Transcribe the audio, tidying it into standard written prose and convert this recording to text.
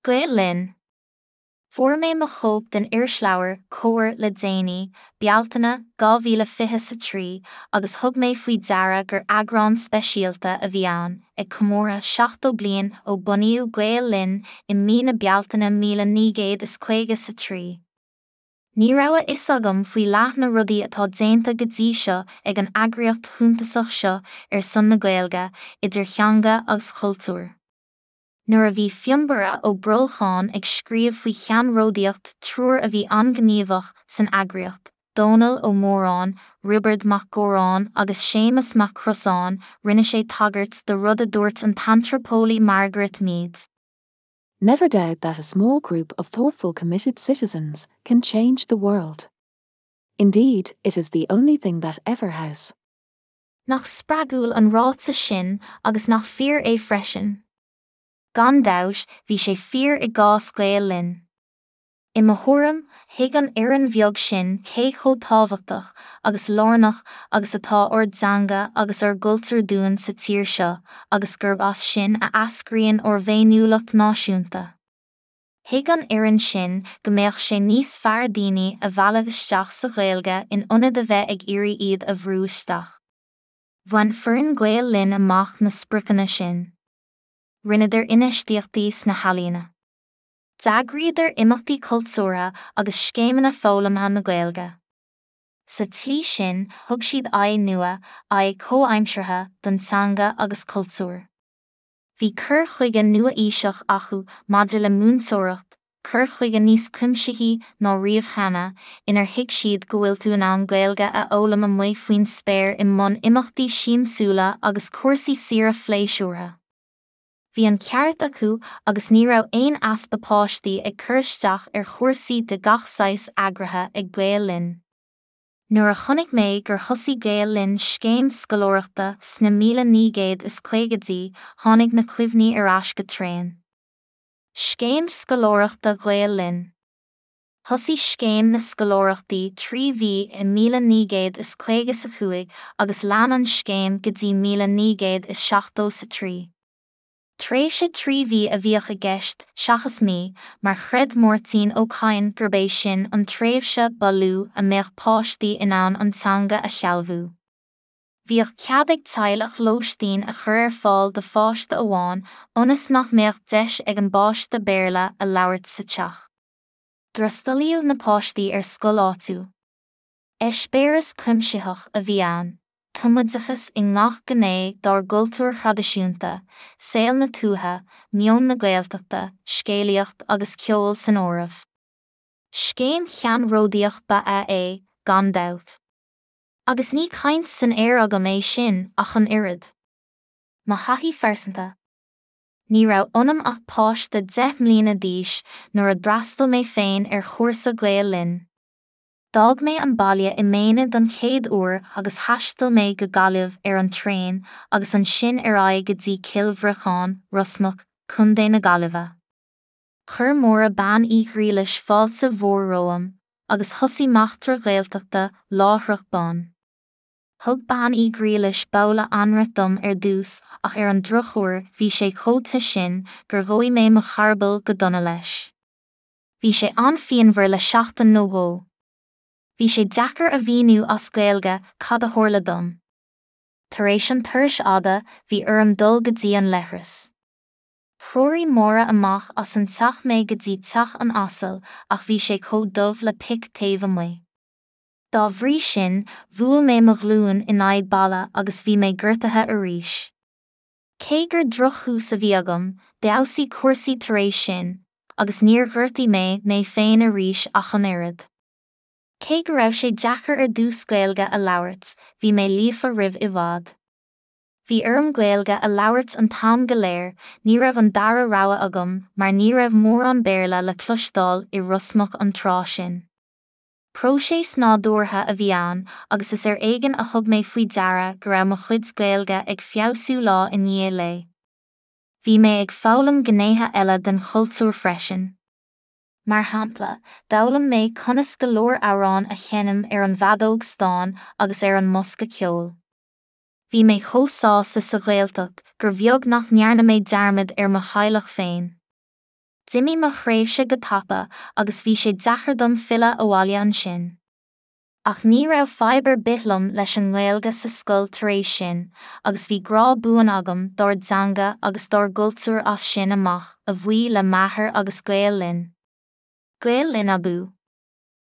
Gael Linn. Fuair mé mo chóip den irisleabhar Comhar le déanaí, Bealtaine 2023, agus thug mé faoi deara gur eagrán speisialta a bhí ann, ag comóradh 70 bliain ó bunaíodh Gael Linn i mí na Bealtaine 1953. Ní raibh a fhios agam faoi leath na rudaí atá déanta go dtí seo ag an eagraíocht shuntasach seo ar son na Gaeilge, idir theanga agus chultúr. Nuair a bhí Fionnbarra Ó Brolcháin ag scríobh faoi cheannródaíocht triúr a bhí an-ghníomhach san eagraíocht, Dónall Ó Móráin, Roibeard Mac Góráin agus Séamus Mac Crosáin, rinne sé tagairt do rud a dúirt an t-antraipeolaí Margaret Mead. Never doubt that a small group of thoughtful committed citizens can change the world. Indeed, it is the only thing that ever has. Nach spreagúil an ráiteas sin agus nach fíor é freisin? Gan dabht, bhí sé fíor i gcás Gael Linn. I mo thuairim, thuig an fhoireann bheag sin cé chomh tábhachtach agus lárnach agus atá ár dteanga agus ár gcultúr dúinn sa tír seo agus gurb as sin a eascraíonn ár bhféiniúlacht náisiúnta. Thuig an fhoireann sin go mbeadh sé níos fearr daoine a mhealladh isteach sa Ghaeilge in ionad a bheith ag iarraidh iad a bhrú isteach. Bhain foireann Gael Linn amach na spriocanna sin. Rinneadar infheistíochtaí sna healaíona. D'eagraíodar imeachtaí cultúrtha agus scéimeanna foghlamtha na Gaeilge. Sa tslí sin, thug siad aghaidh nua, aghaidh chomhaimseartha, don teanga agus cultúr. Bhí cur chuige nua-aoiseach acu maidir le múinteoireacht, cur chuige níos cuimsithí ná riamh cheana, inar thuig siad go bhfuil tú in ann Gaeilge a fhoghlaim amuigh faoin spéir i mbun imeachtaí siamsúla agus cúrsaí saoire phléisiúrtha. Bhí an ceart acu agus ní raibh aon easpa páistí ag cur isteach ar chúrsaí de gach saghas eagraithe ag Gael Linn. Nuair a chonaic mé gur thosaigh Gael Linn scéim scoláireachta sna 1950idí, tháinig na cuimhní ar ais go tréan. Scéim Scoláireachta Ghael Linn. Thosaigh scéim na scoláireachtaí 3 mhí i 1955 agus lean an scéim go dtí 1973. Tréimhse 3 mhí a bhíodh i gceist, seachas mí, mar chreid Máirtín Ó Cadhain gurb é sin an tréimhse ba lú a mbeadh páistí in ann an teanga a shealbhú. Bhíodh cead ag teaghlach lóistín a chur ar fáil do pháiste amháin ionas nach mbeadh deis ag an bpáiste Béarla a labhairt sa teach. D'fhreastalaíodh na páistí ar scoil áitiúil. Eispéireas cuimsitheach a bhí ann, tumoideachas i ngach gné dár gcultúr thraidisiúnta, saol na tuaithe, meon na Gaeltachta, scéalaíocht agus ceol san áireamh. Scéim cheannródaíoch ba ea é, gan dabht. Agus ní caint san aer agam é sin ach an oiread. Mo thaithí phearsanta. Ní raibh ionam ach páiste 10 mbliana d'aois nuair a d'fhreastail mé féin ar chúrsa Gael Linn. D'fhág mé an baile i m'aonar don chéad uair agus thaistil mé go Gaillimh ar an traein agus ansin ar aghaidh go dtí Cill Bhriocáin, Rosmuc, Co. na Gaillimhe. Chuir Máire Bean Uí Ghriallais fáilte mhór romham agus thosaigh m'eachtra Ghaeltachta láithreach bonn. Thug Bean Uí Ghriallais babhla anraith dom ar dtús ach ar an drochuair bhí sé chomh te sin gur dhóigh mé mo charball go dona leis. Bhí sé an-phianmhar le seachtain nó dhó. Bhí sé deacair a mhíniú as Gaeilge cad a tharla dom. Tar éis an turais fhada, bhí orm dul go dtí an leithreas. Threoraigh Máire amach as an teach mé go dtí teach an asail ach bhí sé chomh dubh le pic taobh amuigh. Dá bhrí sin, bhuail mé mo ghlúin in aghaidh balla agus bhí mé gortaithe arís. Cé gur drochthús a bhí agam, d'fheabhsaigh cúrsaí tar éis sin, agus níor ghortaigh mé mé féin arís ach an oiread. Cé go raibh sé deacair ar dtús Gaeilge a labhairt, bhí mé líofa roimh i bhfad. Bhí orm Gaeilge a labhairt an t-am go léir, ní raibh an dara rogha agam mar ní raibh mórán Béarla le cloisteáil i Rosmuc an tráth sin. Próiseas nádúrtha a bhí ann agus is ar éigean a thug mé faoi deara go raibh mo chuid Gaeilge ag feabhsú lá i ndiaidh lae. Bhí mé ag foghlaim gnéithe eile den chultúr freisin. Mar shampla, d'fhoghlaim mé conas go leor amhrán a sheinm ar an bhfeadóg stáin agus ar an mbosca ceoil. Bhí mé chomh sásta sa Ghaeltacht gur bheag nach ndearna mé dearmad ar mo theaghlach féin. D'imigh mo thréimhse go tapa agus bhí sé deacair dom filleadh abhaile ansin. Ach ní raibh fadhb ar bith liom leis an nGaeilge sa scoil tar éis sin, agus bhí grá buan agam dár dteanga agus dár gcultúr as sin amach, a bhuí le m'athair agus Gael Linn. Gael Linn abú!